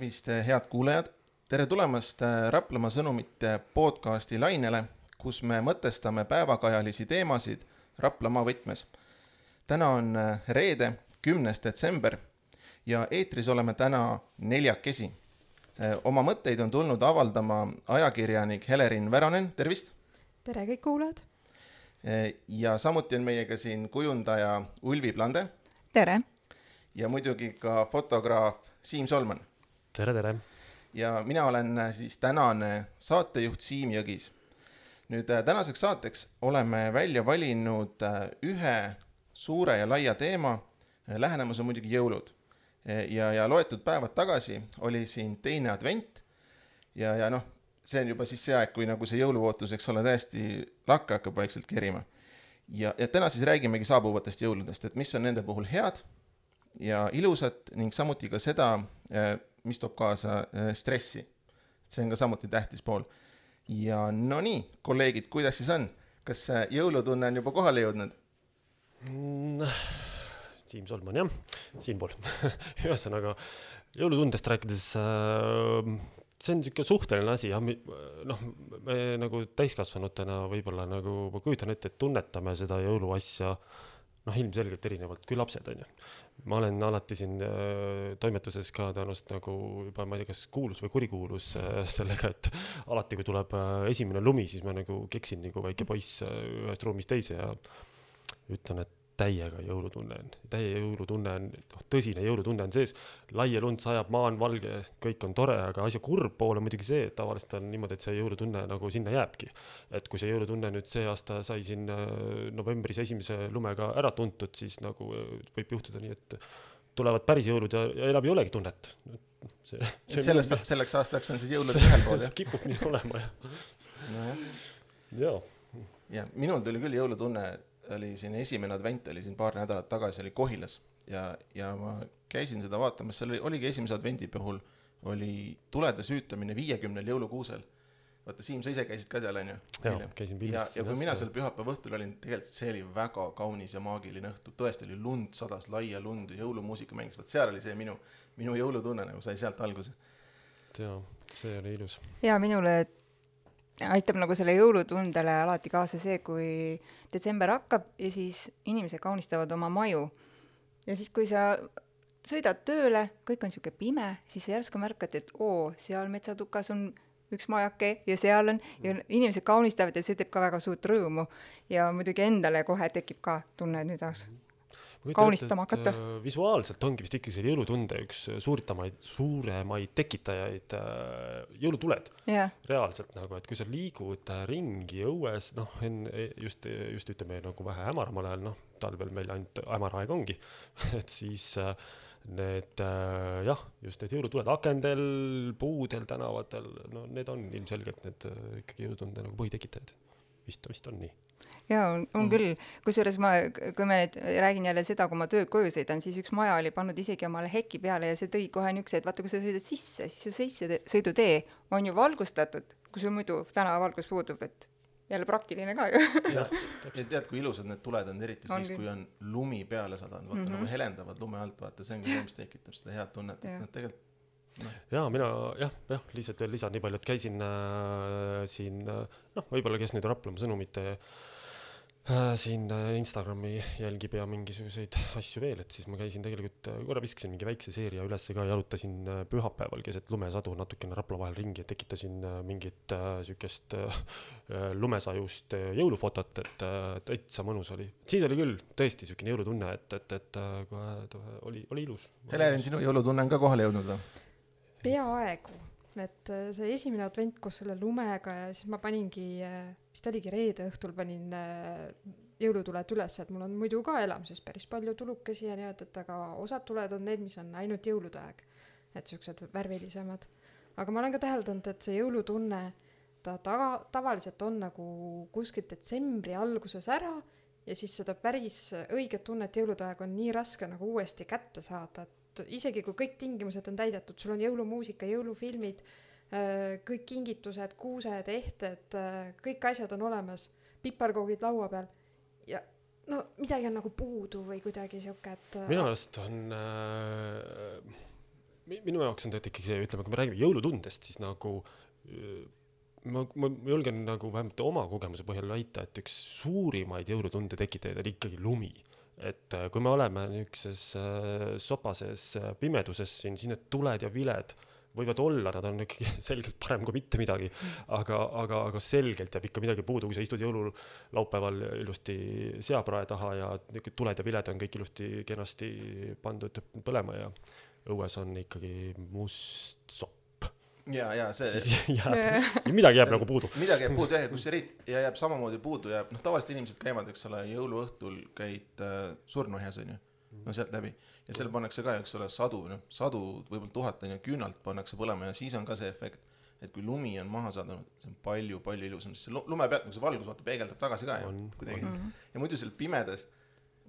Tervist, head kuulajad! Tere tulemast Raplamaa sõnumite podcasti lainele, kus me mõtestame päevakajalisi teemasid Raplamaa võtmes. Täna on reede, 10. detsember ja eetris oleme täna 4. Oma mõtteid on tulnud avaldama ajakirjanik Helerin Väranen, tervist! Tere kõik kuulajad! Ja samuti on meiega siin kujundaja Ulvi Plande. Tere! Ja muidugi ka fotograaf Siim Solman. Tere, tere! Ja mina olen siis tänane saatejuht Siim Jõgis. Nüüd tänaseks saateks oleme välja valinud ühe suure ja laia teema. Lähenemus on muidugi jõulud. Ja loetud päevad tagasi oli siin teine advent. Ja see on juba siis see aeg, kui nagu see jõuluootus, eks ole, täiesti lakka hakkab vaikselt kerima. Ja täna siis räägimegi saabuvatest jõuludest, et mis on nende puhul head ja ilusat ning samuti ka seda, mis toob kaasa stressi. See on ka samuti tähtis pool. Ja no nii, kolleegid, kuidas siis on? Kas jõulutunne on juba kohale jõudnud? Siim Solman, jah, siinpool. Ühesõnaga, jõulutundest rääkides, see on niisugune suhteline asi. Me nagu täiskasvanutena võib-olla nagu, ma kujutan ette, et tunnetame seda jõuluasja ilmselgelt erinevalt kui lapsed on ju. Ma olen alati siin toimetuses ka tõenäoliselt nagu juba, ma ei tea, kas kuulus või kurikuulus sellega, et alati kui tuleb esimene lumi, siis ma nagu keksin nagu väike poiss ühest ruumist teise ja ütlen, et täiega jõulutunne on. Täie jõulutunne on, tõsine jõulutunne on sees. Laia lund sajab, maa on valge, kõik on tore, aga asja kurb pool on muidugi see, et tavaliselt on niimoodi, et see jõulutunne nagu sinna jääbki. Et kui see jõulutunne nüüd see aasta sai siin novembris esimese lumega ära tuntud, siis nagu võib juhtuda nii, et tulevad päris jõulud ja enam ei olegi tunnet. Selleks aastaks on siis jõulud ühel pool, jah? Kipub nii olema, jah. Ja minul tuli küll jõulutunne, oli siin esimene advent, oli siin paar nädalat tagasi, oli Kohilas ja ma käisin seda vaatamas, seal oligi esimese advendi puhul, oli tulede süütamine 50 jõulukuusel. Vaata, Siim, sa ise käisid ka seal, on ju? Jah, käisin pildist. Ja kui mina seal pühapäeva õhtul olin, tegelikult see oli väga kaunis ja maagiline õhtu. Tõesti oli lund, sadas laia lund, jõulumuusika mängis. Vaat seal oli see minu jõulutunne, nagu sai sealt alguse. Jaa, see oli ilus. Ja minule aitab nagu selle jõulutundele alati kaasa see, kui detsember hakkab ja siis inimesed kaunistavad oma maju. Ja siis, kui sa sõidad tööle, kõik on siuke pime, siis sa järsku märkad, et seal metsatukas on üks majake ja seal on, ja inimesed kaunistavad ja see teeb ka väga suurt rõõmu. Ja muidugi endale kohe tekib ka tunne, et nüüd kaunistama hakata. Visuaalselt ongi vist ikkagi see jõulutunde üks suuremaid tekitajaid jõulutuled. Yeah. Reaalselt nagu, et kui sa liigud ringi õues, just ütleme nagu vähe hämaramal ajal, talvel meil ainult hämaraeg ongi, et siis need, just need jõulutuled akendel, puudel, tänavatel, need on ilmselgelt need ikkagi jõulutunde nagu põhitekitajad. Vist on nii. Jaa, on küll. Kusjuures kui ma nüüd räägin jälle seda, kui ma tööd koju sõidan, siis üks maja oli pannud isegi omale heki peale ja see tõi kohe niukse, et vaata, kui sa sõidad sisse, siis ju sõidutee on ju valgustatud, kui sul muidu tänavavalgus puudub, et jälle praktiline ka ju. Ja tead, kui ilusad need tuled on, eriti siis, kui on lumi peale sadanud, vaata nagu helendavad lume alt, vaata, see on ka see, mis tekitab seda head tunnet, et nad tegelikult Jaa, mina, lihtsalt veel lisan nii palju, et käisin siin, võib-olla kes nüüd Raplamaa sõnumite siin Instagrami jälgib ja mingisuguseid asju veel, et siis ma käisin tegelikult, korra viskasin mingi väikse seeria üles ka, jalutasin pühapäeval keset lumesadu natukene Rapla vahel ringi, et tekitasin mingit sükest lumesajust jõulufotot, et täitsa mõnus oli. Siis oli küll tõesti sükene jõulutunne, et oli ilus. Helerin, sinu jõulutunne on ka kohale jõudnud või? Peaaegu, et see esimene advent koos selle lumega ja siis ma paningi, vist oligi reede õhtul panin jõulutuled üles, et mul on muidu ka elamises päris palju tulukesi ja nii, et aga osad tuled on need, mis on ainult jõulude aeg, et siuksed värvilisemad. Aga ma olen ka täheldanud, et see jõulutunne, ta tavaliselt on nagu kuskil detsembri alguses ära ja siis seda päris õiget tunnet jõulude aeg on nii raske nagu uuesti kätte saada, isegi kui kõik tingimused on täidetud, sul on jõulumuusika, jõulufilmid, kõik kingitused, kuused, ehted, kõik asjad on olemas, piparkoogid laua peal ja midagi on nagu puudu või kuidagi siuke, et minu arust on minu jaoks on tegelikult ikkagi see, ütleme, kui me räägime jõulutundest, siis nagu ma julgen nagu vähemalt oma kogemuse põhjal väita, et üks suurimaid jõulutunde tekitajaid on ikkagi lumi. Et kui me oleme niisuguses sopases pimeduses siin, siis need tuled ja viled võivad olla, nad on ikkagi selgelt parem kui mitte midagi, aga selgelt jääb ikka midagi puudu, kui sa istud jõululaupäeval ilusti seaprae taha ja tuled ja viled on kõik ilusti kenasti pandud põlema ja õues on ikkagi must sopp. Ja see midagi jääb nagu puudu. Midagi jääb puudu, kus ja jääb samamoodi puudu jääb. Tavaliselt inimesed käivad, eks ole, jõuluõhtul käid surnuaias, on ju. No sealt läbi. Ja seal pannakse ka, eks ole, sadu võib-olla 1000 ja küünalt pannakse põlema ja siis on ka see efekt, et kui lumi on maha saadanud, see on palju ilusam, sest see lume pealt, kui see valgus vaata peegeldab tagasi ka kuidagi. Ja muidu seal pimedas,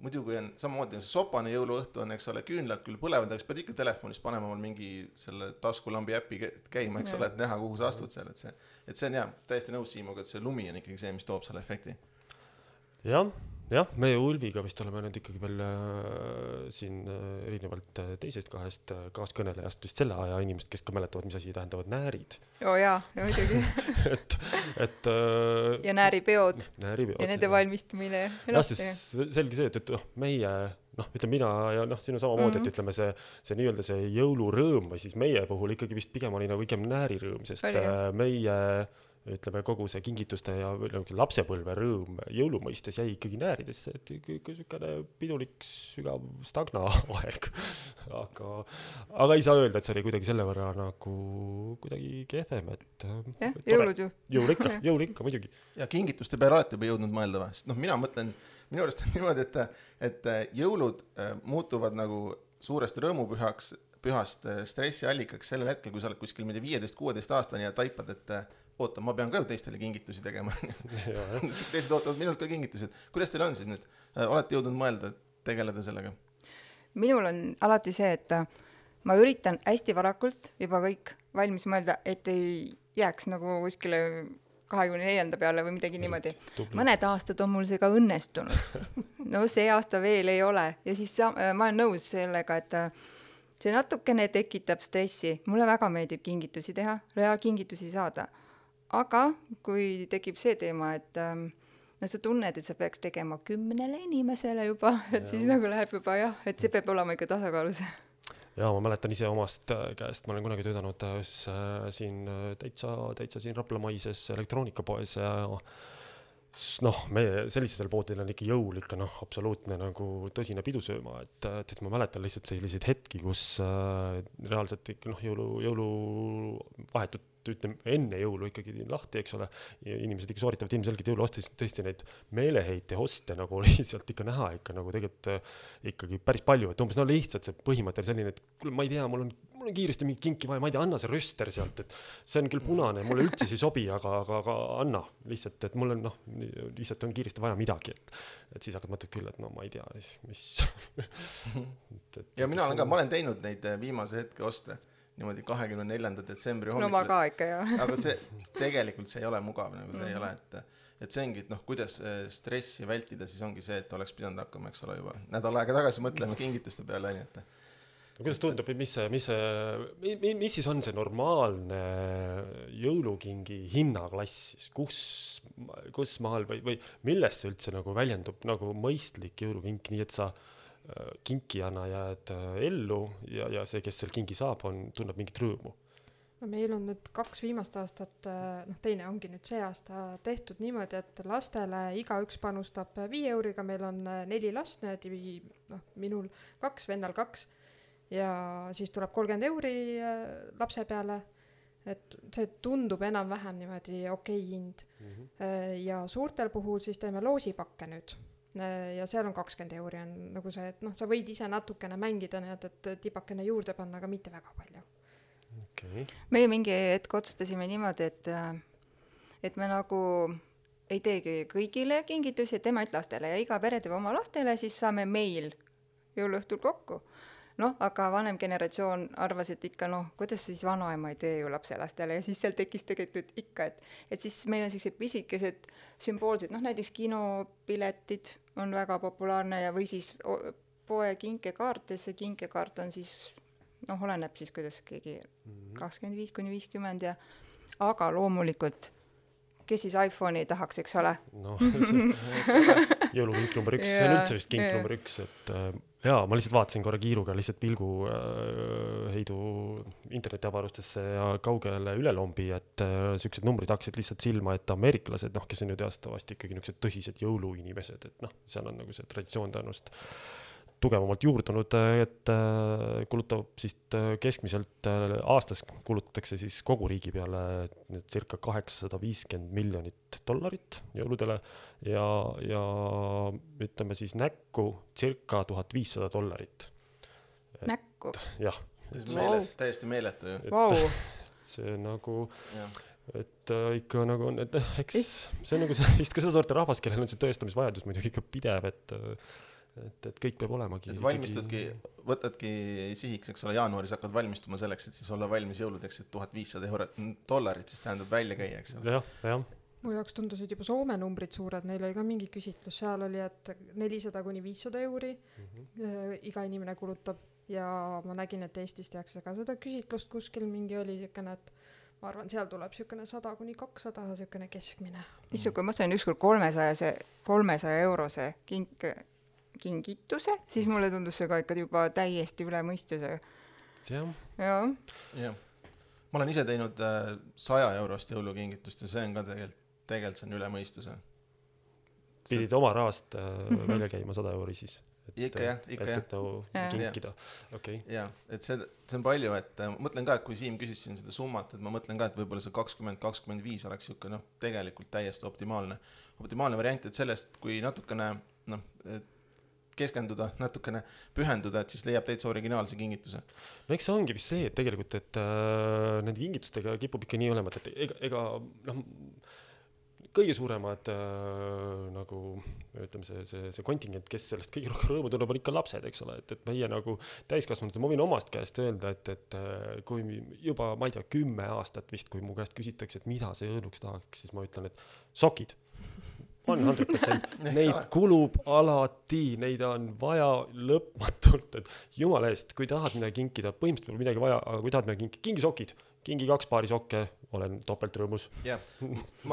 muidu kui on samamoodi see sopane jõuluõhtu on, eks ole, küünlad küll põlevad, aga pead ikka telefonist panema mingi selle taskulambi äppi käima, eks ole, et näha, kuhu sa astud seal, et see on täiesti nõus Siimuga, et see lumi on ikkagi see, mis toob selle efekti. Jah, meie Ulviga vist oleme nüüd ikkagi veel siin erinevalt teisest kahest kaaskõnelejast vist selle aja inimesed, kes ka mäletavad, mis asi tähendavad näärid. Ja muidugi. ja nääripeod. Ja nende valmistumine. Jah, siis selge see, et meie, ütleme mina ja sinu samamoodi, et ütleme see nii-öelda see jõulurõõm või siis meie puhul ikkagi vist pigem oli nagu ikem näärirõõm, sest meie ütleme kogu see kingituste ja lapsepõlve rõõm jõulumõistes jäi ikkagi nääridesse, et niisugune pidulik sügav stagna aeg. Aga ei saa öelda, et see oli kuidagi selle võrra nagu kuidagi kehvem, et jõulud ju. Jõul ikka muidugi. Ja kingituste peale alati juba jõudnud mõelda või? Sest minu arust on niimoodi, et jõulud muutuvad nagu suurest rõõmupühast stressiallikaks sellel hetkel, kui sa oled kuskil 15-16 aastani ja taipad, et oota, ma pean ka ju teistele kingitusi tegema. Teised ootavad minult ka kingitused. Kuidas teil on siis nüüd? Olete jõudnud mõelda, tegeleda sellega? Minul on alati see, et ma üritan hästi varakult juba kõik valmis mõelda, et ei jääks nagu kuskile 24. peale või midagi niimoodi. Mõned aastad on mul see ka õnnestunud. No see aasta veel ei ole. Ja siis ma olen nõus sellega, et see natukene tekitab stressi. Mulle väga meeldib kingitusi teha, kingitusi saada. Aga kui tekib see teema, et sa tunned, et sa peaks tegema 10 inimesele juba, et siis nagu läheb juba et see peab olema ikka tasakaalus. Ja ma mäletan ise omast käest, ma olen kunagi töötanud siin täitsa siin Raplamaises elektroonikapoes ja meie sellistel poodil on ikka jõul ikka absoluutne nagu tõsine pidusööma, et ma mäletan lihtsalt selliseid hetki, kus reaalselt ikka jõulu vahetut ütleme enne jõulu ikkagi lahti, eks ole, ja inimesed ikka sooritavad ilmselgelt jõuluostes tõesti neid meeleheite hoste nagu lihtsalt ikka näha ikka nagu tegelikult ikkagi päris palju, et umbes lihtsalt see põhimõte selline, et kuule, ma ei tea, mul on kiiresti mingi kinki vaja, ma ei tea, anna see röster sealt, et see on küll punane, mulle üldse ei sobi, aga anna lihtsalt, et mul on lihtsalt on kiiresti vaja midagi, et siis hakkad mõtled küll, et ma ei tea, mis. Ja mina olen teinud neid viimase hetke oste niimoodi 24. detsembri hommikul. No ma ka ikka, Aga tegelikult see ei ole mugav, nagu see ei ole, et see ongi, et kuidas stressi vältida, siis ongi see, et oleks pidanud hakkama, eks ole, juba nädal aega tagasi mõtlema kingituste peale, et. Kuidas tundub, mis siis on see normaalne jõulukingi hinnaklass siis? Kus maal või millest see üldse nagu väljendub nagu mõistlik jõulukink, nii et sa kinkijana jääd ellu ja see, kes seal kingi saab, tunneb mingit rõõmu? No meil on nüüd 2 viimast aastat, teine ongi nüüd see aasta tehtud niimoodi, et lastele igaüks panustab 5 euriga, meil on 4 last, minul 2, vennal 2 ja siis tuleb 30 euri lapse peale, et see tundub enam-vähem niimoodi okei hind. Ja suurtel puhul siis teeme loosipakke nüüd. Ja seal on 20 euri on nagu see, et sa võid ise natukene mängida, et tipakene juurde panna, aga mitte väga palju. Okay. Meie mingi hetk otsustasime niimoodi, et me nagu ei teegi kõigile kingitusi, et teeme lastele ja iga pere teeb oma lastele, siis saame meil jõuluõhtul kokku. Aga vanem generatsioon arvas, et ikka kuidas siis vanaema ei tee ju lapselastele ja siis seal tekkis tegelikult ikka, et siis meil on sellised pisikesed sümboolsed, näiteks kinopiletid on väga populaarne ja või siis poe kinkekaart ja see kinkekaart on siis noh, oleneb siis, kuidas keegi 25-50 ja aga loomulikult, kes siis iPhone'i tahaks, eks ole? No, jõulukink number 1, see on üldse vist kink number 1, et jaa, ma lihtsalt vaatasin korra kiiruga lihtsalt pilgu heidu internetiavarustesse ja kaugele ülelombi, et sellised numbrid hakkasid lihtsalt silma, et ameeriklased, noh, kes on ju teastavasti ikkagi niisugused tõsised jõuluinimesed, et noh, seal on nagu see traditsioon tõenäoliselt tugevamalt juurdunud, et kulutab siis keskmiselt aastas kulutatakse siis kogu riigi peale circa $850 miljonit jõuludele ja ütleme siis näkku circa $1500. Näkku? Jah. Täiesti meeletu ju. Vau. See nagu, et ikka nagu on, et eks see on nagu see, vist ka seda sorti rahvas, kellel on see tõestamisvajadus muidugi ikka pidev, et kõik peab olemagi. Et valmistudki, võtadki sihiks, eks ole, jaanuaris hakkad valmistuma selleks, et siis olla valmis jõuludeks, et $1500 siis tähendab välja käia, eks ole. Jah. Mu jaoks tundusid juba Soome numbrid suured, neil oli ka mingi küsitlus, seal oli, et 400-500 euri iga inimene kulutab ja ma nägin, et Eestis tehakse ka seda küsitlust kuskil mingi oli siukene, et ma arvan, seal tuleb siukene 100-200 siukene keskmine. Issu, kui ma sain ükskord 300 eurose kingituse, siis mulle tundus see ka ikka juba täiesti üle mõistuse. Jah. Ma olen ise teinud 100 eurost jõulukingitust ja see on ka tegelikult see on üle mõistuse. Pidid oma rahast välja käima 100 euri siis? Ikka jah. Et kinkida. Okay. Ja, et see on palju, et mõtlen ka, et kui Siim küsis siin seda summat, et ma mõtlen ka, et võib-olla see 20-25 oleks siuke, noh, tegelikult täiesti optimaalne variant, et sellest, kui natukene, keskenduda, natukene pühenduda, et siis leiab täitsa originaalse kingituse. No eks see ongi vist see, et tegelikult, et nende kingitustega kipub ikka nii olema, et ega kõige suuremad nagu, ütleme see kontingent, kes sellest kõige rohkem rõõmu tuleb, on ikka lapsed, eks ole, et meie nagu täiskasvanud, ma võin omast käest öelda, et kui juba, ma ei tea, 10 aastat vist, kui mu käest küsitakse, et mida see õõnuks tahaks, siis ma ütlen, et sokid. 100%. Neid kulub alati, neid on vaja lõpmatult, et jumala eest, kui tahad midagi kinkida, põhimõtteliselt pole midagi vaja, aga kui tahad midagi kingi sokid, kingi 2 paari sokke, olen topelt rõõmus.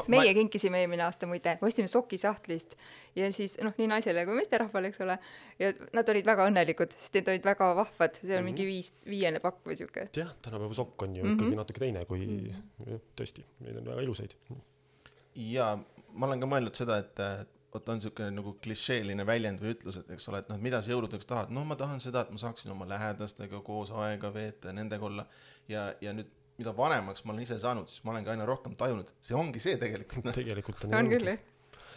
Meie kinkisime eelmine aasta muide, ostime sokisahtlist ja siis, nii naisele kui meesterahvale, eks ole, ja nad olid väga õnnelikud, sest need olid väga vahvad, see on mingi 5 pakk või siuke. Jah, tänapäeva sokk on ju ikkagi natuke teine kui tõesti, neid on väga ilusaid. Ja ma olen ka mõelnud seda, et on siukene nagu klišeeline väljend või ütlus, et eks ole, et mida sa jõuludeks tahad? Ma tahan seda, et ma saaksin oma lähedastega koos aega veeta ja nendega olla ja nüüd mida vanemaks ma olen ise saanud, siis ma olen ka aina rohkem tajunud. See ongi see tegelikult. Tegelikult on küll.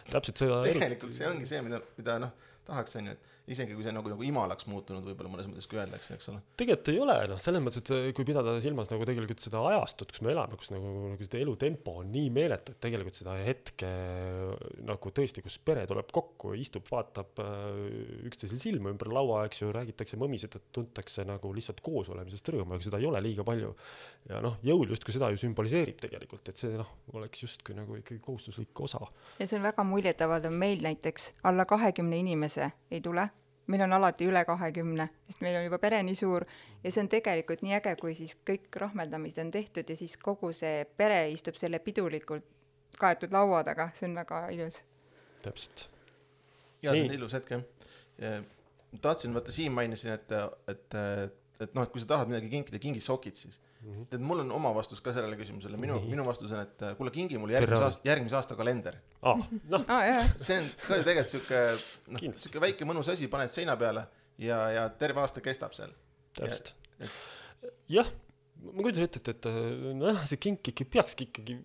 Täpselt seda. Tegelikult see ongi see, mida tahaks on ju, et isegi kui see nagu imalaks muutunud võib-olla mõnes mõttes kui öeldakse, eks ole. Tegelikult ei ole, selles mõttes, et kui pidada silmas nagu tegelikult seda ajastut, kus me elame, kus nagu seda elutempo on nii meeletu, et tegelikult seda hetke nagu tõesti, kus pere tuleb kokku, istub, vaatab üksteisel silma ümber laua, eks ju, räägitakse mõmised, et tuntakse nagu lihtsalt koos olemisest rõõmu, aga seda ei ole liiga palju. Ja jõul just kui seda ju sümboliseerib tegelikult, et see oleks just kui nagu ikkagi kohustuslik osa. Ja see on väga muljetavaldav meil näiteks alla 20 inimese ei tule. Meil on alati üle 20, sest meil on juba pere nii suur ja see on tegelikult nii äge, kui siis kõik rahmeldamised on tehtud ja siis kogu see pere istub selle pidulikult kaetud laua taga, see on väga ilus. Täpselt. Ja see on ilus hetk, jah. Tahtsin, vaata Siim mainisin, et kui sa tahad midagi kinkida, kingi sokid siis. Et mul on oma vastus ka sellele küsimusele. Minu vastus on, et kuule kingi mul järgmise aasta kalender. See on ka ju tegelikult siuke väike mõnus asi, paned seina peale ja terve aasta kestab seal. Täpselt. Jah, ma kujutan ette, et see kink peakski ikkagi,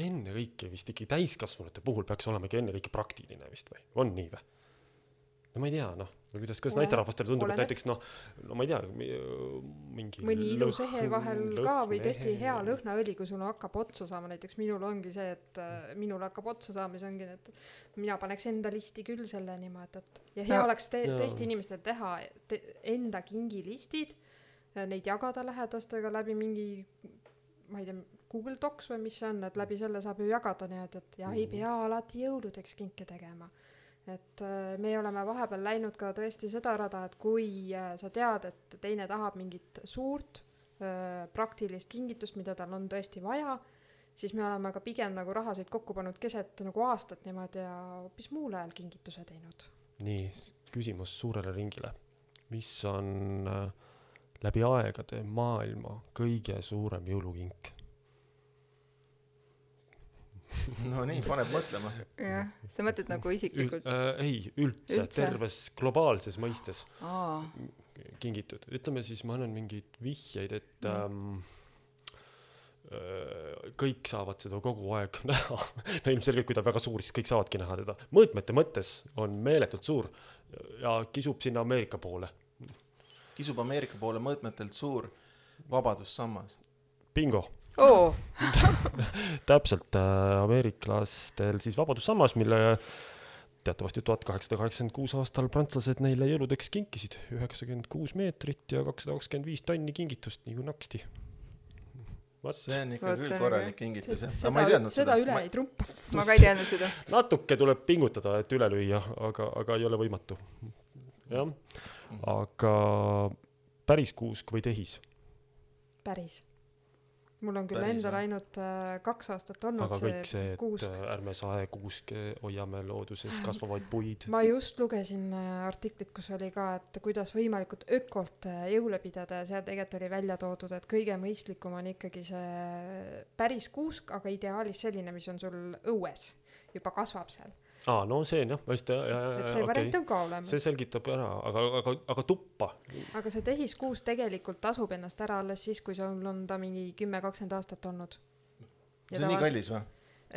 enne kõike vist ikkagi täiskasvanute puhul peaks olema enne kõike praktiline vist või? On nii või? Ma ei tea, kuidas naisterahvastele tundub, et näiteks, ma ei tea, mingi mõni ilus ehe vahel ka või tõesti hea lõhnaõli, kui sul hakkab otsa saama, näiteks minul ongi see, et minul hakkab otsa saama, see ongi, et mina paneks enda listi küll selle niimoodi, et ja hea oleks tõesti inimestel teha enda kingilistid, neid jagada lähedastega läbi mingi, ma ei tea, Google Docs või mis see on, et läbi selle saab ju jagada nii, et ei pea alati jõuludeks kinke tegema. et me oleme vahepeal läinud ka tõesti seda rada, et kui sa tead, et teine tahab mingit suurt praktilist kingitust, mida tal on tõesti vaja, siis me oleme ka pigem nagu rahasid kokku pannud keset nagu aastat niimoodi ja hoopis muul ajal kingituse teinud. Nii, küsimus suurele ringile. Mis on läbi aegade maailma kõige suurem jõulukink? No nii, paneb mõtlema. Jah, sa mõtled nagu isiklikult? Ei, üldse, terves globaalses mõistes kingitud. Ütleme siis, ma annan mingeid vihjeid, et kõik saavad seda kogu aeg näha. No ilmselgelt, kui ta väga suur, siis kõik saavadki näha teda. Mõõtmete mõttes on meeletult suur ja kisub sinna Ameerika poole. Kisub Ameerika poole mõõtmetelt suur vabadussammas. Bingo! Oo! Täpselt ameeriklastel siis vabadussammas, mille teatavasti 1886 aastal prantslased neile jõuludeks kinkisid 96 meetrit ja 225 tonni kingitust, nii kui naksti. See on ikka küll korralik kingitus. Seda üle ei trumpa. Ma ka ei teadnud seda. Natuke tuleb pingutada, et üle lüüa, aga ei ole võimatu. Jah. Aga päris kuusk või tehis? Päris. Mul on küll endal ainult 2 aastat olnud aga kõik see, kuusk. Et ärme sae kuuske, hoiame looduses kasvavaid puid. Ma just lugesin artiklit, kus oli ka, et kuidas võimalikult ökolt jõule pidada ja seal tegelikult oli välja toodud, et kõige mõistlikum on ikkagi see päris kuusk, aga ideaalis selline, mis on sul õues, juba kasvab seal. No see on jah, et see variant on ka olemas. See selgitab ära, aga tuppa. Aga see tehiskuus tegelikult tasub ennast ära alles siis, kui sul on ta mingi 10-20 aastat olnud. See on nii kallis või?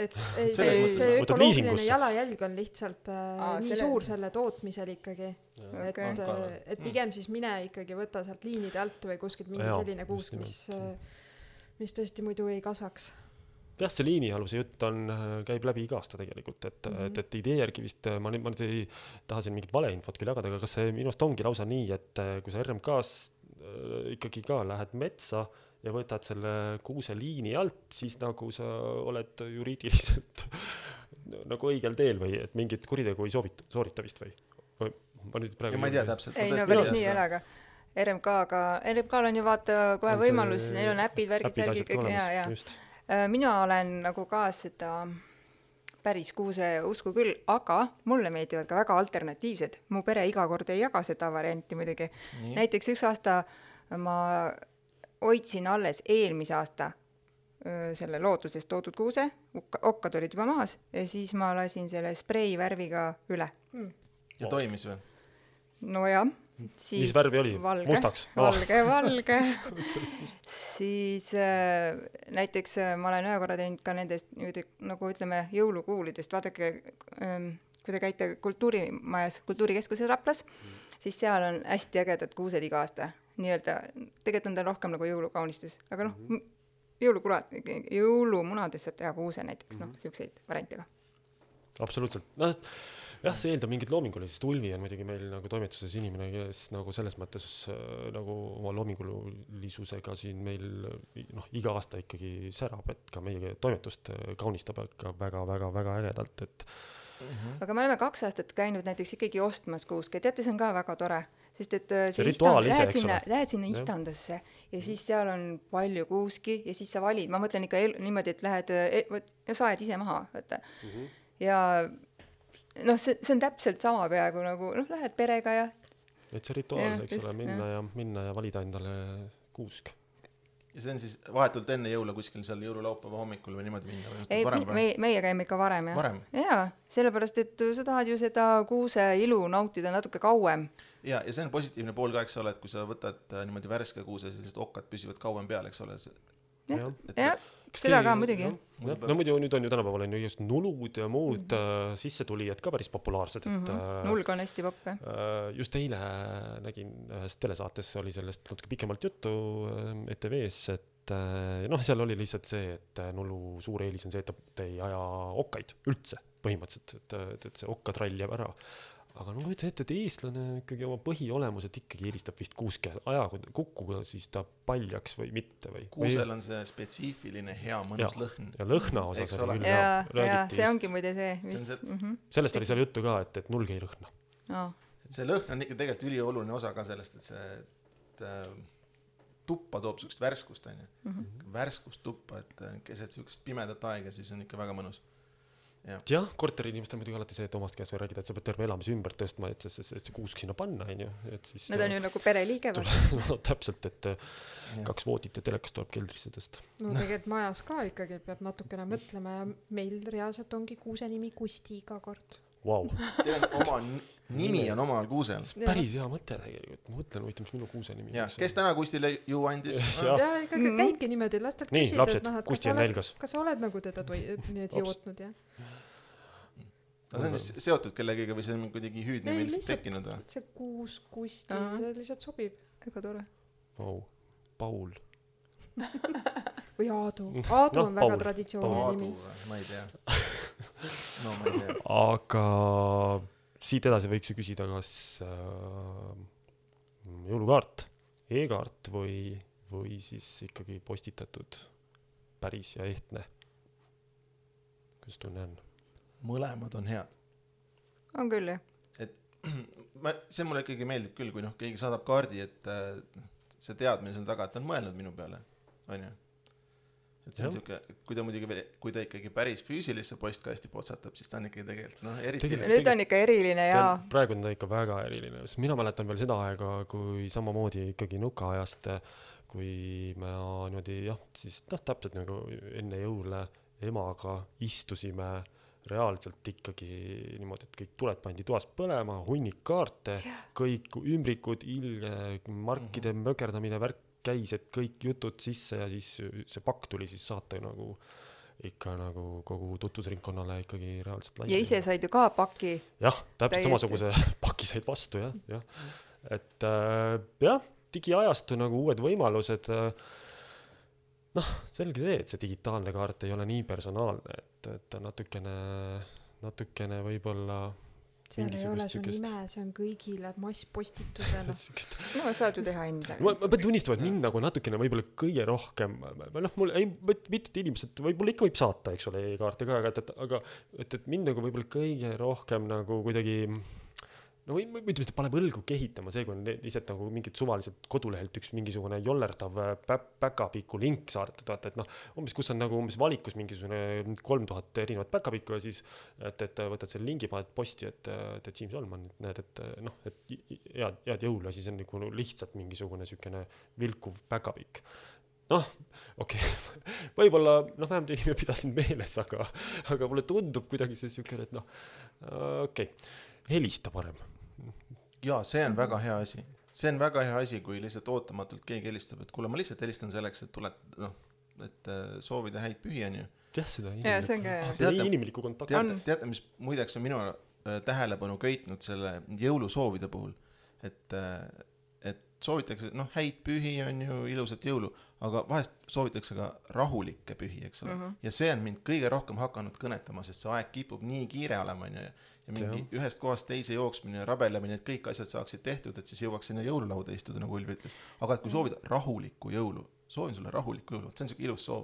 Et see ökoloogiline jalajälg on lihtsalt nii suur selle tootmisel ikkagi. Et pigem siis mine ikkagi võtta sealt liinide alt või kuskilt mingi selline kuusk, mis tõesti muidu ei kasvaks. Jah, see liinialuse jutt käib läbi iga aasta tegelikult, et idee järgi vist, ma nüüd ei taha siin mingit valeinfot küll jagada, aga kas see minust ongi lausa nii, et kui sa RMKs ikkagi ka lähed metsa ja võtad selle kuuse liini alt, siis nagu sa oled juriidiliselt nagu õigel teel või et mingit kuritegu ei soorita vist või? Ma nüüd praegu... Ja ma ei tea täpselt. Ei, no päris nii ei ole, aga RMK-l on ju vaata kohe võimalus, neil on äpid, värgid, särgid, kõik, ja. Mina olen nagu ka seda päris kuuse usku küll, aga mulle meeldivad ka väga alternatiivsed. Mu pere iga kord ei jaga seda varianti muidugi. Nii. Näiteks üks aasta ma hoidsin alles eelmise aasta selle loodusest toodud kuuse, okkad olid juba maas ja siis ma lasin selle sprei värviga üle. Ja toimis või? No jah. Siis mis värvi oli? Valge, mustaks? Valge. Siis näiteks ma olen ühe korra teinud ka nendest nagu ütleme jõulukuulidest. Vaadake, kui te käite kultuurimajas, kultuurikeskuses Raplas, siis seal on hästi ägedad kuused iga aasta. Nii-öelda, tegelikult on ta rohkem nagu jõulukaunistus. Aga jõulumunadest saab teha kuuse näiteks, siukseid variantega. Absoluutselt. Jah, see eeldab mingit loomingulisest. Ulvi on muidugi meil nagu toimetuses inimene, kes nagu selles mõttes nagu oma loomingulisusega siin meil iga aasta ikkagi särab, et ka meie toimetust kaunistab ikka väga ägedalt. Et... Aga me oleme 2 aastat käinud näiteks ikkagi ostmas kuuske. Teate, see on ka väga tore, sest et lähed sinna istandusse ja siis seal on palju kuuski ja siis sa valid. Ma mõtlen ikka niimoodi, et lähed ja saed ise maha. Ja see on täpselt sama peaaegu nagu lähed perega ja et see rituaal, eks ole, minna ja valida endale kuusk. Ja see on siis vahetult enne jõule kuskil seal jõululaupäeva hommikul või niimoodi minna? Ei, meie käime ikka varem. Jaa, sellepärast, et sa tahad ju seda kuuse ilu nautida natuke kauem. Ja see on positiivne pool ka, eks ole, et kui sa võtad niimoodi värske kuuse, siis okkad püsivad kauem peal, eks ole. Jah, seda ka muidugi. No muidu nüüd on ju tänapäeval on ju just nulud ja muud sissetulijad ka päris populaarsed. Nulg on hästi popp. Just eile nägin ühes telesaates oli sellest natuke pikemalt juttu ETV-s, et seal oli lihtsalt see, et nullu suur eelis on see, et ta ei aja okkaid üldse põhimõtteliselt, et see okkatrall jääb ära. aga no kujuta ette, et eestlane ikkagi oma põhiolemuselt ikkagi eelistab vist kuuske kukuga siis ta paljaks või mitte või. Kuusel on see spetsiifiline hea mõnus lõhn. Ja lõhna osas oli küll ja see ongi muide see, mis... Sellest oli seal juttu ka, et nulg ei lõhna. Et see lõhn on ikka tegelikult ülioluline osa ka sellest, et see tuppa toob sükest värskust, värskust tuppa, et keset sükest pimedat aega, siis on ikka väga mõnus. Jah, korteri inimestel muidugi alati see, et omast käes või räägida, et sa pead terve elamise ümber tõstma, et see kuusk sinna panna, et siis... Need on ju nagu pereliige või? No täpselt, et 2 voodit ja telekas tuleb keldrisse tõsta. No tegelikult majas ka ikkagi peab natukene mõtlema ja meil reaalselt ongi kuuse nimi Kusti iga kord. Wow. Teil on oma nimi on omal kuusel. Päris hea mõte tegelikult. Ma mõtlen, mis minu kuuse nimi on. Kes täna Kustile ju andis? Ja ikkagi käibki niimoodi, lastel küsida. Nii, lapsed, Kusti on nälgas. Kas sa oled nagu teda jootnud, jah? See on siis seotud kellegiga või see on kuidagi hüüdne või lihtsalt tekkinud või? See kuus Kusti, see lihtsalt sobib. Väga tore. Wow. Paul. Või Aadu. Aadu on väga traditsiooniline nimi. Ma ei tea. No ma ei tea. Aga siit edasi võiks ju küsida, kas jõulukaart, e-kaart või siis ikkagi postitatud päris ja ehtne. Kuidas tunne on? Mõlemad on head. On küll, jah. Et see mulle ikkagi meeldib küll, kui keegi saadab kaardi, et see teadmine seal taga, et ta on mõelnud minu peale. On ju? Et see on siuke, kui ta ikkagi päris füüsilisse postkasti potsatab, siis ta on ikkagi tegelikult, eriti... Nüüd on ikka eriline, jaa. Praegu on ta ikka väga eriline. Mina mäletan veel seda aega, kui samamoodi ikkagi nukaajast, kui me niimoodi, siis täpselt nagu enne jõule emaga istusime reaalselt ikkagi niimoodi, et kõik tuled pandi toas põlema, hunnik kaarte, kõik ümbrikud, markide mökerdamine, värk käis, et kõik jutud sisse ja siis see pakk tuli siis saata nagu ikka nagu kogu tutvusringkonnale ikkagi reaalselt laiali. Ja ise said ju ka paki. Jah, täpselt samasuguse paki said vastu, jah. Et digiajastu nagu uued võimalused, selge see, et see digitaalne kaart ei ole nii personaalne, et natukene võib-olla seal ei ole su nime, see on kõigile masspostitusena. No saad ju teha endale. Ma pean tunnistama, et mind nagu natukene võib-olla kõige rohkem, mul ei, mitte inimesed, võib-olla ikka võib saata, eks ole, e-kaarte ka, aga et mind nagu võib-olla kõige rohkem nagu kuidagi ütleme, et paneb õlgu kehitama see, kui on lihtsalt nagu mingid suvaliselt kodulehelt üks mingisugune jollerdav päkapikku link saadetud, et umbes kus on nagu umbes valikus mingisugune 3000 erinevat päkapikku ja siis, et võtad selle lingi, paned posti, et Siim Solman, näed, et head jõulu ja siis on nagu lihtsalt mingisugune sükene vilkuv päkapikk. Okei. Võib-olla, vähemalt inimene pidasin meeles, aga mulle tundub kuidagi see sükene, et okei. Helista parem. Jaa, see on väga hea asi. See on väga hea asi, kui lihtsalt ootamatult keegi helistab, et kuule, ma lihtsalt helistan selleks, et tuled, et soovida häid pühi on ju. Jah, seda inimlikku kontakt. Teate, mis muideks on minu tähelepanu köitnud selle jõulusoovide puhul, et soovitakse, häid pühi on ju, ilusat jõulu, aga vahest soovitakse ka rahulikke pühi, eks ole. Ja see on mind kõige rohkem hakanud kõnetama, sest see aeg kipub nii kiire olema on ju, ja mingi ühest kohast teise jooksmine ja rabelemine, et kõik asjad saaksid tehtud, et siis jõuaks sinna jõululauda istuda, nagu Ulvi ütles. Aga kui soovida rahulikku jõulu, soovin sulle rahulikku jõulu, see on selline ilus soov.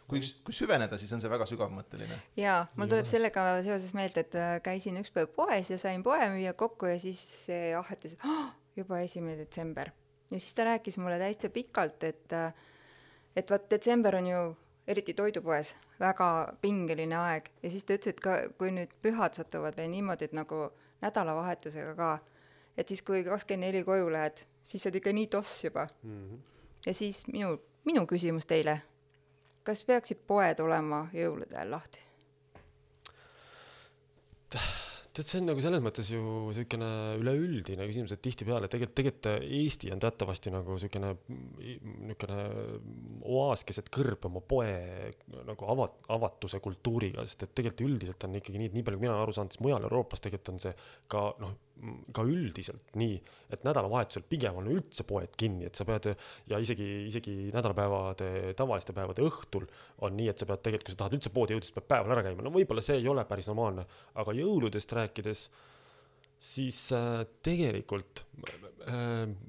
Kui süveneda, siis on see väga sügavmõtteline. Jaa, mul tuleb sellega seoses meelde, et käisin üks päev poes ja sain poemüüja kokku ja siis see ahhetas, juba 1. detsember. Ja siis ta rääkis mulle täitsa pikalt, et vaat detsember on ju eriti toidupoes väga pingeline aeg ja siis ta ütles, et kui nüüd pühad satuvad veel niimoodi, et nagu nädalavahetusega ka, et siis kui 24 koju lähed, siis saad ikka nii toss juba. Ja siis minu küsimus teile, kas peaksid poed olema jõulude ajal lahti? Tead, see on nagu selles mõttes ju selline üleüldine küsimus, et tihti peale, tegelikult Eesti on teatavasti nagu selline oaas keset kõrb oma poe nagu avatuse kultuuriga, sest et tegelikult üldiselt on ikkagi nii, et nii palju, kui mina aru saanud, siis mujal Euroopas tegelikult on see ka üldiselt nii, et nädalavahetusel pigem on üldse poed kinni, et sa pead ja isegi nädalapäevade, tavaliste päevade õhtul on nii, et sa pead tegelikult, kui sa tahad üldse poodi jõuda, siis pead päeval ära käima. Võib-olla see ei ole päris normaalne, aga jõuludest rääkides siis tegelikult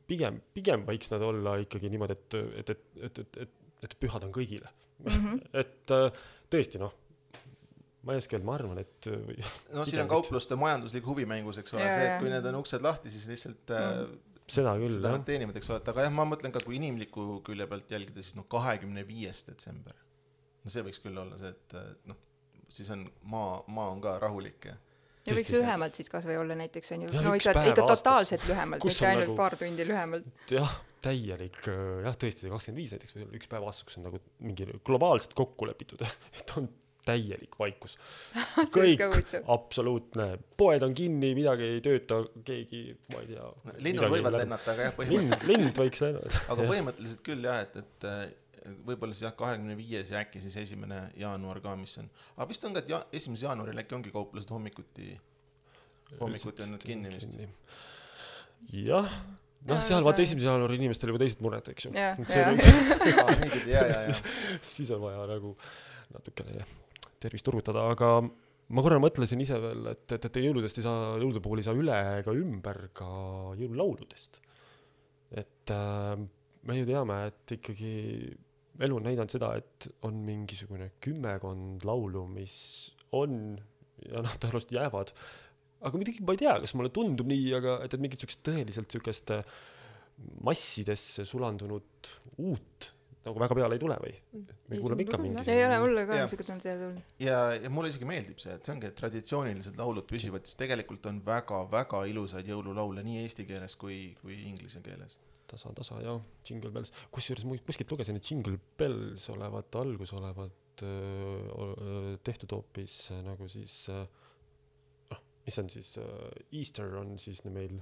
pigem võiks nad olla ikkagi niimoodi, et pühad on kõigile. Et tõesti, ma ei oska öelda, ma arvan, et siin on kaupluste majanduslik huvimängus, eks ole, see, et kui need on uksed lahti, siis lihtsalt seda küll, jah. Teenivad, eks ole, aga jah, ma mõtlen ka, kui inimliku külje pealt jälgida, siis 25. detsember. See võiks küll olla see, et siis on maa on ka rahulik ja võiks lühemalt siis kas või olla näiteks on ju, ikka totaalselt lühemalt, mitte ainult paar tundi lühemalt. Jah, täielik, tõesti see 25 näiteks või üks päev aastas, kus on nagu mingi globaalselt kokku lepitud, et on täielik vaikus. Kõik, absoluutne. Poed on kinni, midagi ei tööta, keegi, ma ei tea. Linnud võivad lennata, aga jah, põhimõtteliselt. Lind võiks lennata. Aga põhimõtteliselt küll jah, et võib-olla siis 25. ja äkki siis 1. jaanuar ka, mis on. Aga vist on ka, et 1. jaanuaril äkki ongi kauplased hommikuti on nad kinni vist. Jah, seal vaata 1. jaanuari inimestel juba teised mured, eks ju. Siis on vaja nagu natukene tervist turgutada, aga ma korra mõtlesin ise veel, et jõuludest ei saa, jõulude puhul ei saa üle ega ümber ka jõululauludest. Et me ju teame, et ikkagi elu on näidanud seda, et on mingisugune 10 laulu, mis on ja tõenäoliselt jäävad. Aga midagi ma ei tea, kas mulle tundub nii, aga et mingit tõeliselt sükest massidesse sulandunud uut nagu väga peale ei tule või? Me kuuleme ikka mingi. Ei ole mulle ka niisugused tulnud. Ja mulle isegi meeldib see, et see ongi, et traditsioonilised laulud püsivad, siis tegelikult on väga-väga ilusaid jõululaule nii eesti keeles kui inglise keeles. Tasa, ja Jingle Bells. Kusjuures kuskilt lugesin, et Jingle Bells algus olevat tehtud hoopis nagu siis, mis on siis, Easter on siis meil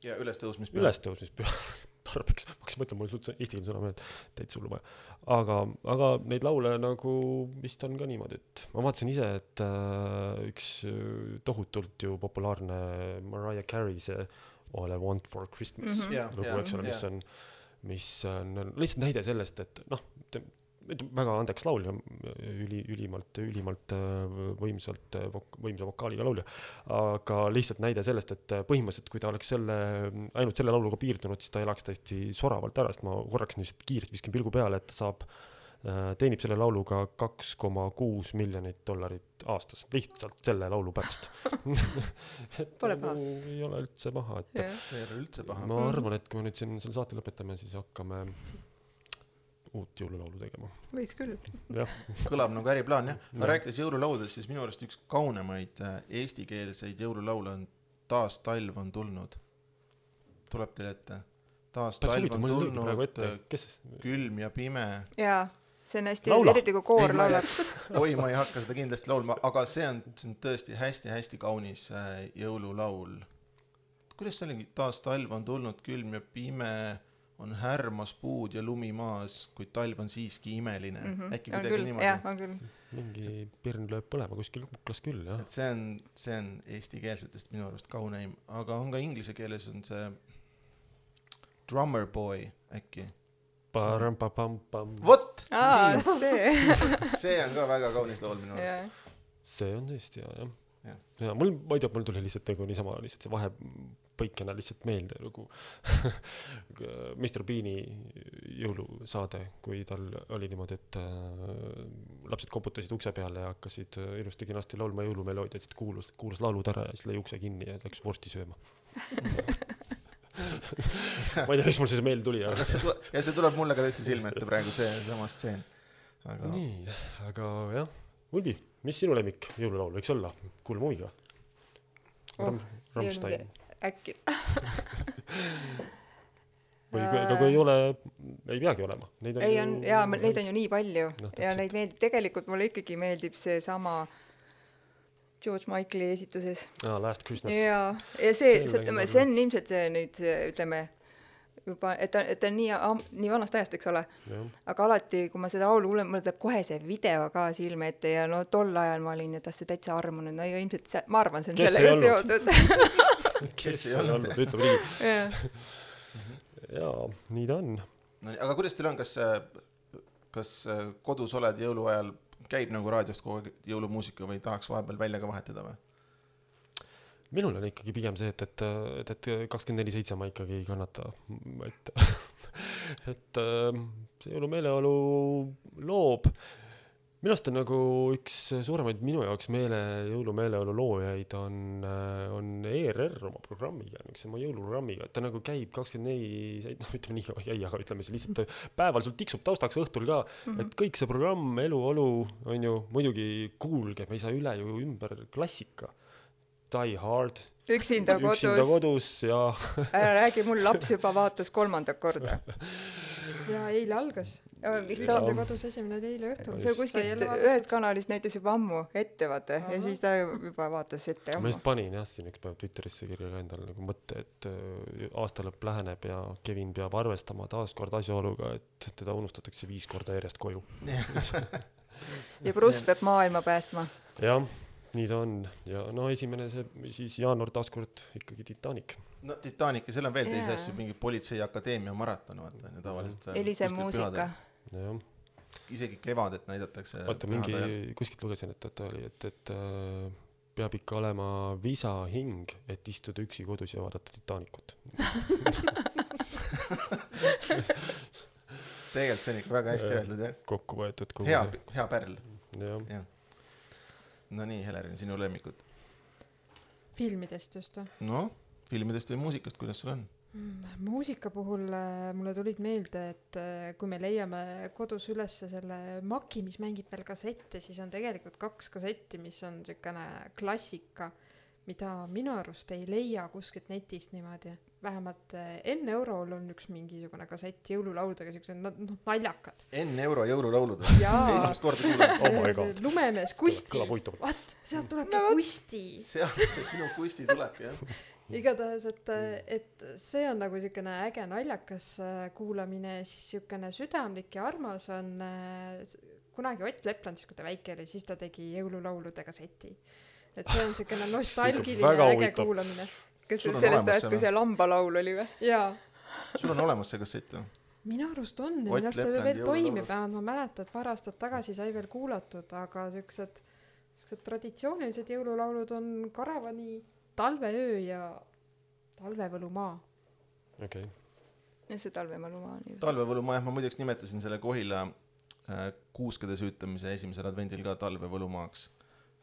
ja ülestõusmispüha. Ülestõusmispüha tarbeks. Ma hakkasin mõtlema, mul suhteliselt eesti keeles sõna meeld, teid sullu vaja. Aga neid laule nagu vist on ka niimoodi, et ma vaatasin ise, et üks tohutult ju populaarne Mariah Carey see All I Want for Christmas lugu, eks ole, mis on lihtsalt näide sellest, et väga andeks laulja, ülimalt võimsa vokaaliga laulja, aga lihtsalt näide sellest, et põhimõtteliselt, kui ta oleks ainult selle lauluga piirdunud, siis ta elaks täiesti soravalt ära, sest ma korraks lihtsalt kiiresti viskin pilgu peale, et ta teenib selle lauluga $2.6 miljonit aastas, lihtsalt selle laulu pärast. Pole paha. Ei ole üldse paha. Ei ole üldse paha. Ma arvan, et kui nüüd siin selle saate lõpetame, siis hakkame uut jõululaulu tegema. Võis küll. Kõlab nagu äriplaan, jah. Ma rääkides jõululaudest, siis minu arust üks kaunemaid eestikeelseid jõululaule on Taas talv on tulnud. Tuleb teile ette. Taas talv on tulnud, külm ja pime. Jaa, see on hästi, eriti kui koor laulab. Oi, ma ei hakka seda kindlasti laulma, aga see on tõesti hästi-hästi kaunis jõululaul. Kuidas see oligi? Taas talv on tulnud, külm ja pime, on härmas puud ja lumi maas, kuid talv on siiski imeline. Äkki kuidagi niimoodi. Jah, on küll. Mingi pirn lööb põlema kuskil kuklas küll, jah. Et see on eestikeelsetest minu arust kauneim, aga on ka inglise keeles on see Drummer Boy äkki. Vot! See on ka väga kaunis laul minu arust. See on tõesti, jah. Ja mul tuli lihtsalt nagu niisama lihtsalt see vahepõikena lihtsalt meelde nagu Mr. Beani jõulusaade, kui tal oli niimoodi, et lapsed koputasid ukse peale ja hakkasid ilusti kenasti laulma jõulumeloodiat, siis kuulas laulud ära ja siis lõi ukse kinni ja läks vorsti sööma. Ma ei tea, mis mul see meelde tuli. Ja see tuleb mulle ka täitsa silme ette praegu see sama stseen. Nii, aga jah, Ulbi. Mis sinu lemmik jõululaul võiks olla? Kuulme huviga. Rammstein. Äkki. Või kui ei ole, ei peagi olema. Neid on ju nii palju. Ja neid meeldib, tegelikult mulle ikkagi meeldib see sama George Michaeli esituses. Last Christmas. Ja see on ilmselt see nüüd, ütleme, juba, et ta on nii vanast ajast, eks ole. Ja. Aga alati, kui ma seda laulu kuulen, mulle tuleb kohe see video ka silme ette ja tol ajal ma olin, et see täitsa armunud. No ilmselt ma arvan, see on sellega seotud. Kes ei olnud? Ütleb riigi. Jaa, nii ta on. Aga kuidas teil on, kas kodus oled jõuluajal, käib nagu raadiost kogu jõulumuusika või tahaks vahepeal välja ka vahetada või? minul on ikkagi pigem see, et 24/7 ma ikkagi ei kannata, et see jõulumeeleolu loob. Minu arust on nagu üks suuremaid minu jaoks jõulumeeleolu loojaid on ERR oma programmiga, oma jõuluprogrammiga, et ta nagu käib 24, noh ütleme nii ei, aga ütleme see lihtsalt päeval sul tiksub taustaks õhtul ka, et kõik see programm, eluolu on ju muidugi kuulge, me ei saa üle ju ümber klassika. Die Hard. Üksinda kodus ja ära räägi, mul laps juba vaatas 3. korda. Ja eile algas. Üksinda kodus esimene eile õhtul. See kuskilt ühest kanalist näitas juba ammu ette, vaata, ja siis ta juba vaatas ette ammu. Ma just panin siin üks päev Twitterisse kirja endale nagu mõtte, et aastalõpp läheneb ja Kevin peab arvestama taaskord asjaoluga, et teda unustatakse 5 korda järjest koju. Ja Bruce peab maailma päästma. Jah. Nii ta on. Ja no esimene see siis jaanuar taaskord ikkagi Titanic. No Titanic ja seal on veel teisi asju, mingi politseiakadeemia maraton, vaata, tavaliselt. Elise muusika. Ja. Isegi kevadet näidatakse. Vaata, mingi kuskilt lugesin, et peab ikka olema visa hing, et istuda üksi kodus ja vaadata Titanicut. Tegelikult see on ikka väga hästi öeldud, jah. Kokku võetud. Hea pärl. Ja. No nii, Helerin, sinu lemmikud? Filmidest just. No, filmidest või muusikast, kuidas sul on? Muusika puhul mulle tulid meelde, et kui me leiame kodus üles selle Maki, mis mängib veel kassette, siis on tegelikult 2 kassetti, mis on selline klassika, mida minu arust ei leia kuskilt netist niimoodi. Vähemalt Enne Eurol on üks mingisugune kassett jõululauludega, sellised naljakad. Enne Euro jõululaulud? Esimest korda kuulen. Lumemees Kusti. Vaat, sealt tuleb Kusti. Sealt see sinu Kusti tuleb, jah. Igatahes, et see on nagu selline äge naljakas kuulamine, siis selline südamlik ja armas on kunagi Ott Lepland, siis kui ta väike oli, siis ta tegi jõululaulude kasseti. Et see on selline nostalgiline äge kuulamine. Kas sellest ajast, kui see lambalaul oli või? Jaa. Sul on olemas see kassett, või? Minu arust on, minu arust see veel toimib, ma mäletan, et paar aastat tagasi sai veel kuulatud, aga sellised traditsioonilised jõululaulud on Karavani Talveöö ja Talvevõlumaa. Okay. Ja see Talvevõlumaa on ju. Talvevõlumaa, ma muideks nimetasin selle Kohila kuuskede süütamise esimesel advendil ka Talvevõlumaaks.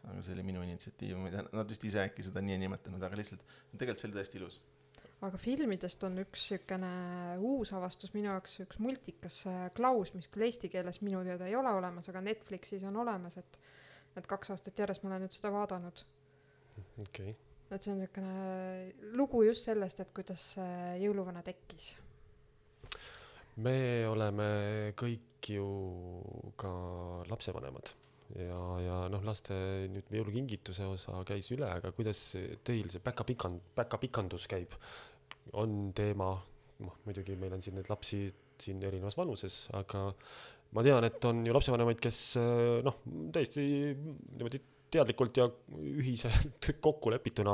Aga see oli minu initsiatiiv, nad vist ise äkki seda nii nimetanud, aga lihtsalt tegelikult see oli tõesti ilus. Aga filmidest on üks selline uus avastus minu jaoks, üks multikas Klaus, mis küll eesti keeles minu teada ei ole olemas, aga Netflixis on olemas, et 2 aastat järjest ma olen nüüd seda vaadanud. Okay. Et see on selline lugu just sellest, et kuidas jõuluvana tekkis. Me oleme kõik ju ka lapsevanemad. Ja laste nüüd jõulukingituse osa käis üle, aga kuidas teil see päkapikandus käib? On teema, muidugi meil on siin need lapsi siin erinevas vanuses, aga ma tean, et on ju lapsevanemaid, kes täiesti niimoodi teadlikult ja ühiselt kokku lepituna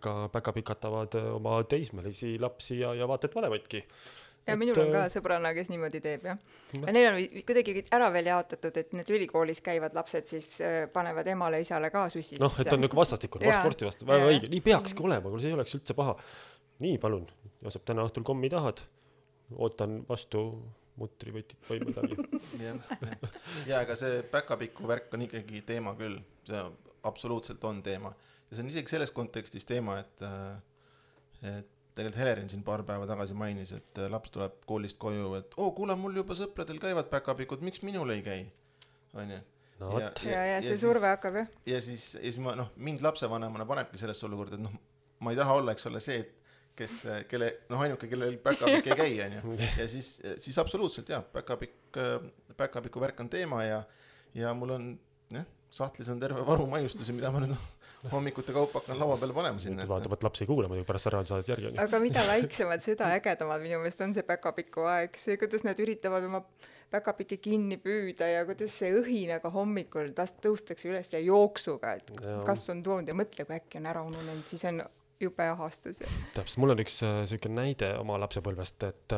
ka päkapikatavad oma teismelisi lapsi ja vaata, et vanemaidki. Ja minul on ka sõbrana, kes niimoodi teeb, jah. Ja neil on kuidagi ära veel jaotatud, et need ülikoolis käivad lapsed siis panevad emale isale ka sussi sisse. Et on nagu vastastikul, sporti vastu, väga õige. Nii peakski olema, kui see ei oleks üldse paha. Nii, palun, Joosep, täna õhtul kommi tahad? Ootan vastu mutrivõtit või midagi. Ja, aga see päkapikku värk on ikkagi teema küll. See absoluutselt on teema. Ja see on isegi selles kontekstis teema, et tegelikult Helerin siin paar päeva tagasi mainis, et laps tuleb koolist koju, et kuule, mul juba sõpradel käivad päkapikud, miks minul ei käi? Ja see surve hakkab, jah. Ja siis mind lapsevanemana panebki sellesse olukorda, et ma ei taha olla, eks ole see, ainuke, kellel päkapik ei käi, ja siis absoluutselt, jah, päkapiku värk on teema ja mul on, sahtlis on terve varu maiustusi, mida ma nüüd hommikute kaupa hakkan laua peale panema sinna. Vaatavat laps ei kuule, muidugi pärast ära saad järgi. Aga mida laiksemad, seda ägedamad minu meelest on see päkapiku aeg. See, kuidas nad üritavad oma päkapikki kinni püüda ja kuidas see õhinaga hommikul tõustakse üles ja jooksuga, et kas on toonud ja mõtle, kui äkki on ära ununenud, siis on jube ahastus. Täpselt, mul on üks selline näide oma lapsepõlvest, et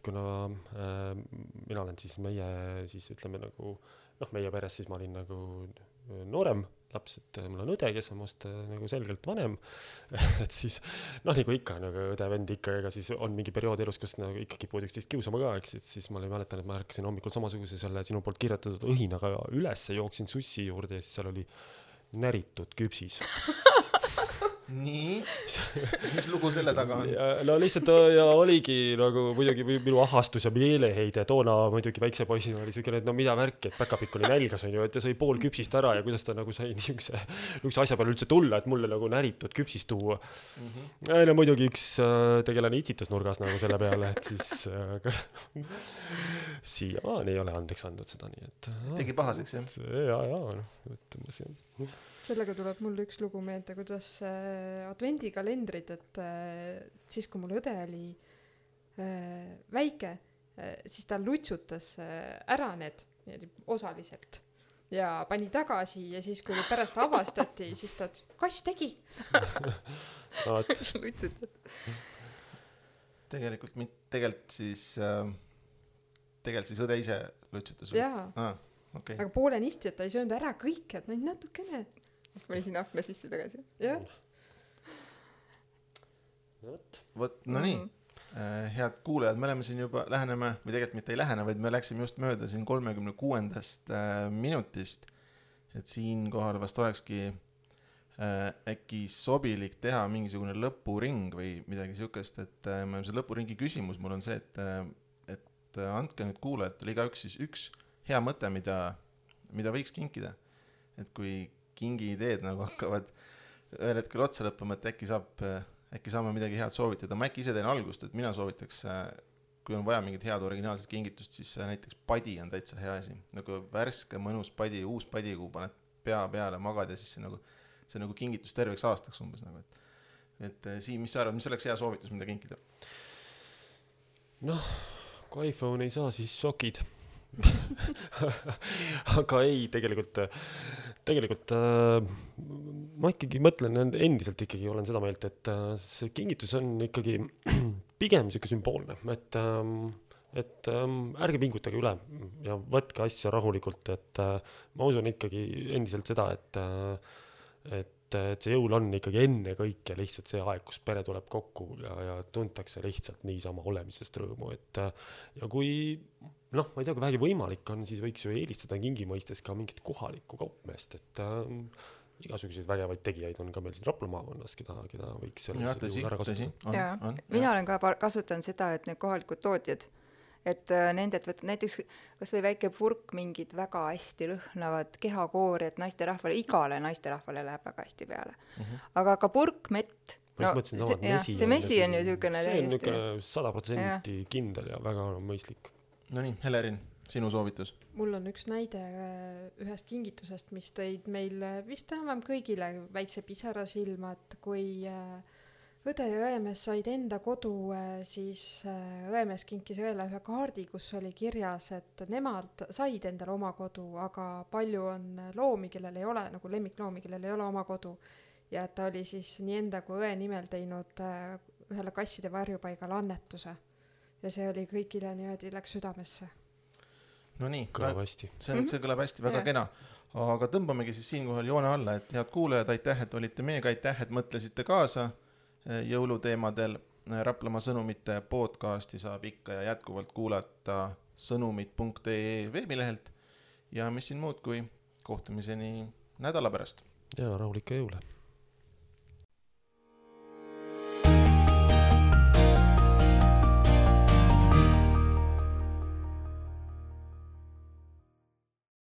kuna mina olen siis meie peres, siis ma olin nagu noorem laps, et mul on õde, kes on must nagu selgelt vanem, et siis noh, nagu ikka, nagu õde-vend ikka, ega siis on mingi periood elus, kus nagu ikka kipud üksteist kiusama ka, eks, et siis ma mäletan, et ma ärkasin hommikul samasuguse selle sinu poolt kirjutatud õhinaga üles, jooksin sussi juurde ja siis seal oli näritud küpsis. Nii, mis lugu selle taga on? No lihtsalt ja oligi nagu muidugi minu ahastus ja meeleheide toona muidugi väikse poisina oli selline, et no mida värki, et päkapikk oli nälgas, on ju, et ta sai pool küpsist ära ja kuidas ta nagu sai niisuguse asja peale üldse tulla, et mulle nagu näritud küpsist tuua. No muidugi üks tegelane itsitas nurgas nagu selle peale, et siis siiamaani ei ole andeks andnud seda, nii et tegi pahaseks, jah? Ja, noh, ütleme siin. Sellega tuleb mul üks lugu meelde, kuidas advendikalendrid, et siis kui mul õde oli väike, siis ta lutsutas ära need osaliselt ja pani tagasi ja siis kui pärast avastati, siis ta, kass tegi. Lutsutad. Tegelikult siis õde ise lutsutas. Jaa, okay. Aga poolenisti, et ta ei söönud ära kõik, et natukene. Ma olin siin akna sisse tagasi. Jah. Vot, no nii. Head kuulajad, me oleme siin juba läheneme, või tegelikult mitte ei lähene, vaid me läksime just mööda siin 36. minutist, et siin kohal vast olekski äkki sobilik teha mingisugune lõpuring või midagi sihukest, et see lõpuringi küsimus mul on see, et andke nüüd kuulajatele igaüks siis üks hea mõte, mida võiks kinkida. Et kui kingi ideed nagu hakkavad ühel hetkel otsa lõppama, et äkki saame midagi head soovitada. Ma äkki ise teen algust, et mina soovitaks, kui on vaja mingit head originaalset kingitust, siis näiteks padi on täitsa hea asi. Nagu värske, mõnus padi, uus padi, kui paned pea peale, magad ja siis see nagu kingitus terveks aastaks umbes. Nagu. Et Siim, mis sa arvad, mis oleks hea soovitus, mida kinkida? Noh, kui iPhone ei saa, siis sokid. Aga ei, tegelikult ma ikkagi mõtlen endiselt ikkagi olen seda meelt, et see kingitus on ikkagi pigem siuke sümboolne, et ärge pingutage üle ja võtke asja rahulikult, et ma usun ikkagi endiselt seda, et see jõul on ikkagi enne kõike lihtsalt see aeg, kus pere tuleb kokku ja tuntakse lihtsalt niisama olemisest rõõmu, et ja kui noh, ma ei tea, kui vähegi võimalik on, siis võiks ju eelistada kingi mõistes ka mingit kohalikku kaupmeest, et igasuguseid vägevaid tegijaid on ka meil siin Rapla maakonnas, keda võiks sellisel juhul ära kasutada. Mina olen ka kasutanud seda, et need kohalikud tootjad, et nendelt võtta näiteks kas või väike purk mingid väga hästi lõhnavad kehakoori, et naisterahvale, igale naisterahvale läheb väga hästi peale. Aga ka purk, mett, see mesi on ju niisugune see on niisugune 100% kindel ja väga mõistlik. No nii, Helerin, sinu soovitus? Mul on üks näide ühest kingitusest, mis tõid meil vist enam kõigile väikse pisara silma, et kui õde ja õemees said enda kodu, siis õemees kinkis õele ühe kaardi, kus oli kirjas, et nemad said endale oma kodu, aga palju on loomi, kellel ei ole, nagu lemmikloomi, kellel ei ole oma kodu. Ja ta oli siis nii enda kui õe nimel teinud ühele kasside varjupaigale annetuse. Ja see oli kõigile niimoodi läks südamesse. No nii, kõlab hästi. See kõlab hästi, väga kena. Aga tõmbamegi siis siinkohal joone alla, et head kuulajad, aitäh, et olite meiega, aitäh, et mõtlesite kaasa jõuluteemadel. Raplamaa sõnumite podcasti saab ikka ja jätkuvalt kuulata sõnumit.ee veebilehelt. Ja mis siin muud kui kohtumiseni nädala pärast. Ja rahulikke jõule.